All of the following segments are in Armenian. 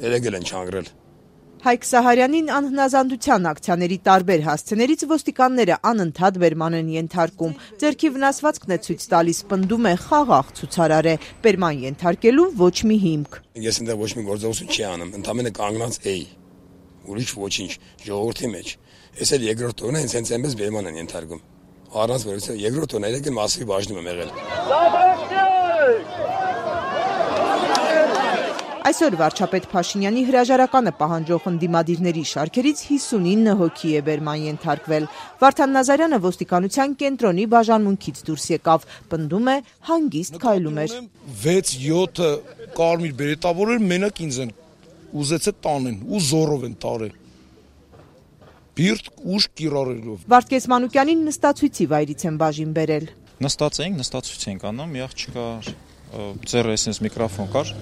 երեգել են չանգրել։ Հայկ Սահարյանին անհնազանդության ակցիաների տարբեր հասցեներից ոստիկանները անընդհատ բերման են ենթարկում։ Ձեռքի վնասվածքն է ցույց տալիս, պնդում է խաղաղ ցուցարար է, բերման ենթարկելու ոչ մի հիմք։ Ես այնտեղ ոչ մի գործողություն չի անում, ընդամենը կանգնած էի։ Ուրիշ ոչինչ, ժողովրդի մեջ։ Ես էլ երկրորդ օրն ինձ հենց այնպես բերման են ենթարկում։ Առանց որից երկրորդ օրն երեգել մասի բաժնում եմ եղել։ Այսօր վարչապետ Փաշինյանի հրաժարականը պահանջող ընդդիմադիրների շարքերից 59 հոգի է բերման ենթարկվել։ Վարդան Նազարյանը ոստիկանության կենտրոնի բաժանմունքից դուրս եկավ, պնդում է հանգիստ քայլում էր։ 6-7 կարմիր բերետավորներ մենակ ինձ են ուզեցել տանեն ու զորով են տարել։ Բիրտ ուժ կիրառելով։ Վարդգես Մանուկյանին նստացույցի վայրից են բաժին բերել։ Նստած էինք, նստացույց էինք անում, մի աղջկա ձեռը էսենց միկրոֆոն կար։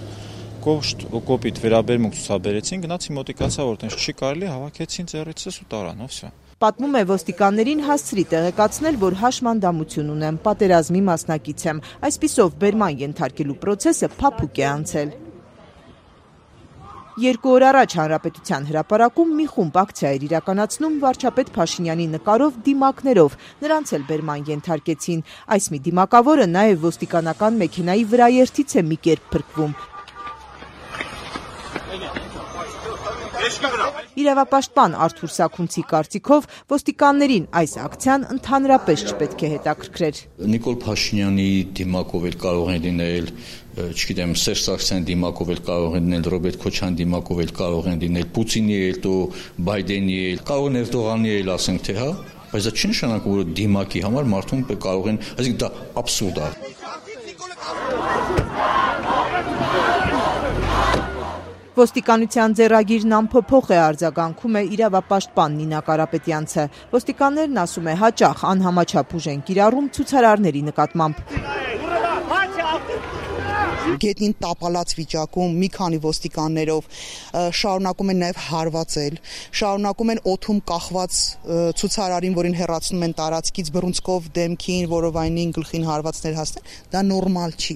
Կոպիտ վերաբերմունք ցուցաբերեցին, գնացի մոտիկացա, որ տենց չի կարելի, հավաքեցին ձեռիցս ու տարան, վсё։ Պատմում է ոստիկաններին հասցրի տեղեկացնել, որ հաշմանդամություն ունեմ, պատերազմի մասնակից եմ, այսպիսով բերման ենթարկելու process-ը փափուկ է անցել։ 2 օր առաջ Հանրապետության հրապարակում մի խումբ ակցիա էր իրականացնում վարչապետ Փաշինյանի նկարով դիմակներով, նրանց էլ բերման ենթարկեցին։ Այս մի դիմակավորը նաև ոստիկանական մեքենայի վրաերթից է մի կերպ փրկվում։ Իրավապաշտպան Արթուր Սաքունցի կարծիքով ոստիկաններին այս ակցիան ընդհանրապես չպետք է հետաքրքրեր։ Նիկոլ Փաշինյանի դիմակով էլ կարող են լինել, չգիտեմ, Սերժ Սարգսյանի դիմակով էլ կարող են լինել, Ռոբերտ Քոչարյանի դիմակով էլ կարող են լինել, Պուտինի էլ, Բայդենի էլ, կարող են Էրդողանի էլ, ասենք թե հա, բայց դա չի նշանակում, որ դիմակի համար մարդուն կարող են, այսինքն դա աբսուրդ է։ Ոստիկանության ձեռագիրն անփոփոխ է արձագանքում է իրավապաշտպան Նինա Կարապետյանցը։ Ոստիկաններն ասում է հաճախ անհամաչափ ուժ են կիրառում ցուցարարների նկատմամբ։ Գետնին տապալած վիճակում մի քանի ոստիկաններով շարունակում են նաև հարվածել, շարունակում են օդում կախված ցուցարարին, որին հեռացնում են տարածքից բռունցքով դեմքին, որովայնին, գլխին հարվածներ հասնել, դա նորմալ չի։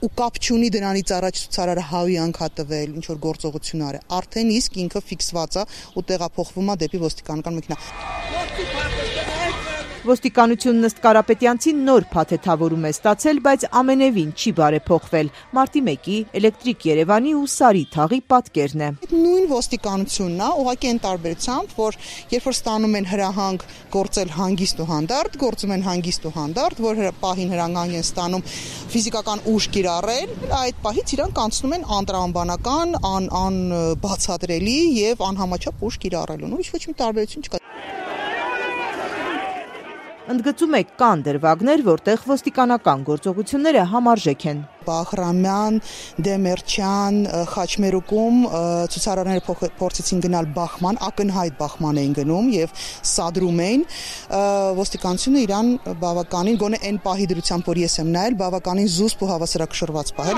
Ու կապ չունի դրանից առաջ ցուցարարը հավյանք ա տվել, ինչ որ գործողություններ է։ Արդեն իսկ ինքը ֆիքսված է ու տեղափոխվում է դեպի ոստիկանական մեքենա։ Ոստիկանությունն ըստ Կարապետյանցին նոր փաթեթավորում է ստացել, բայց ամենևին չի բարեփոխվել։ Մարտի 1-ի Էլեկտրիկ Երևանի ու Սարի թաղի պատկերն է։ Նույն ոստիկանությունն է, ուղղակի այն տարբերությամբ, որ երբ որ ստանում են հրահանգ գործել հանգիստ ու հանդարտ, գործում են հանգիստ ու հանդարտ, որ պահին հրահանգ են ստանում ֆիզիկական ուժ կիրառել, այդ պահից իրանք անցնում են անտրամաբանական, անբացատրելի եւ անհամաչափ ուժ կիրառելուն։ Ուրիշ ոչ մի տարբերություն չկա։ Ընդգծում է կան դրվագներ, որտեղ ոստիկանական գործողությունները համարժեք են։ Բախրամյան, Դեմերչյան, Խաչմերուկում ցուցարարները փորձեցին գնալ բախման, ակնհայտ բախման էին գնում եւ սադրում էին։ Ոստիկանությունը իրան բավականին գոնե այն պահի դրությամբ, որ ես եմ նայել, բավականին զուսպ ու հավասարակշռված պահել։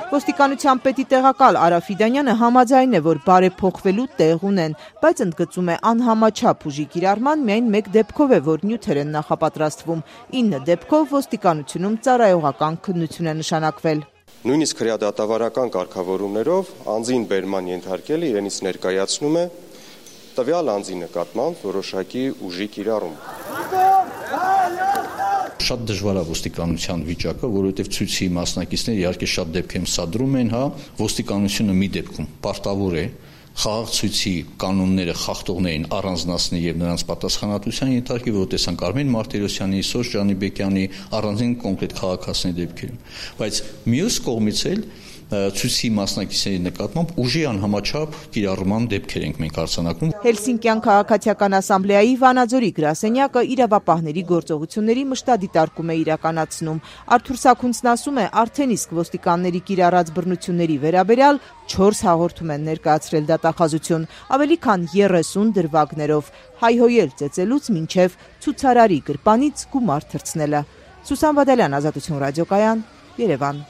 Ոստիկանության պետի տեղակալ Արա Ֆիդանյանը համաձայն է, որ բարեփոխվելու տեղ ունեն, բայց ընդգծում է անհամաչափ ուժի կիրառման միայն մեկ դեպքով է, որ նյութեր են նախապատրաստվում։ 9 դեպքով ոստիկանությունում ծառայողական քննություն է նշանակվել։ Նույնիսկ հրադադավարական կարգավորումներով անձին բերման ենթարկելը իրենից ներկայացնում է տվյալ անձի նկատմամբ որոշակի ուժի կիրառում։ Շատ դժվար է ոստիկանության վիճակը, որովհետև ցույցի մասնակիցները իհարկե շատ դեպքերում սադրում են, հա, ոստիկանությունը մի դեպքում պարտավոր է խաղաղ ցույցի կանոնները խախտողներին առանձնացնել եւ նրանց պատասխանատվության ենթարկել, որ տեսանք Արմեն Մարտիրոսյանի, Սոս Ջանիբեկյանի առանձին կոնկրետ քաղաքացիների դեպքերում, բայց մյուս կողմից էլ ցույցի մասնակիցների նկատմամբ ուժի անհամաչափ կիրառման դեպքեր ենք մենք արձանագրում։ Հելսինկյան քաղաքացիական ասամբլեայի Վանաձորի գրասենյակը իրավապահների գործողությունների մշտադիտարկում է իրականացնում։ Արթուր Սաքունցն ասում է, արդեն իսկ ոստիկանների կիրառած բռնությունների վերաբերյալ 4 հաղորդում են ներկայացրել դատախազություն, ավելի քան 30 դրվագներով, հայհոյել ծեծելուց մինչև ցուցարարի գրպանից գումար թռցնելը։ Սուսան Բադալյան, Ազատություն ռադիոկայան, Երևան։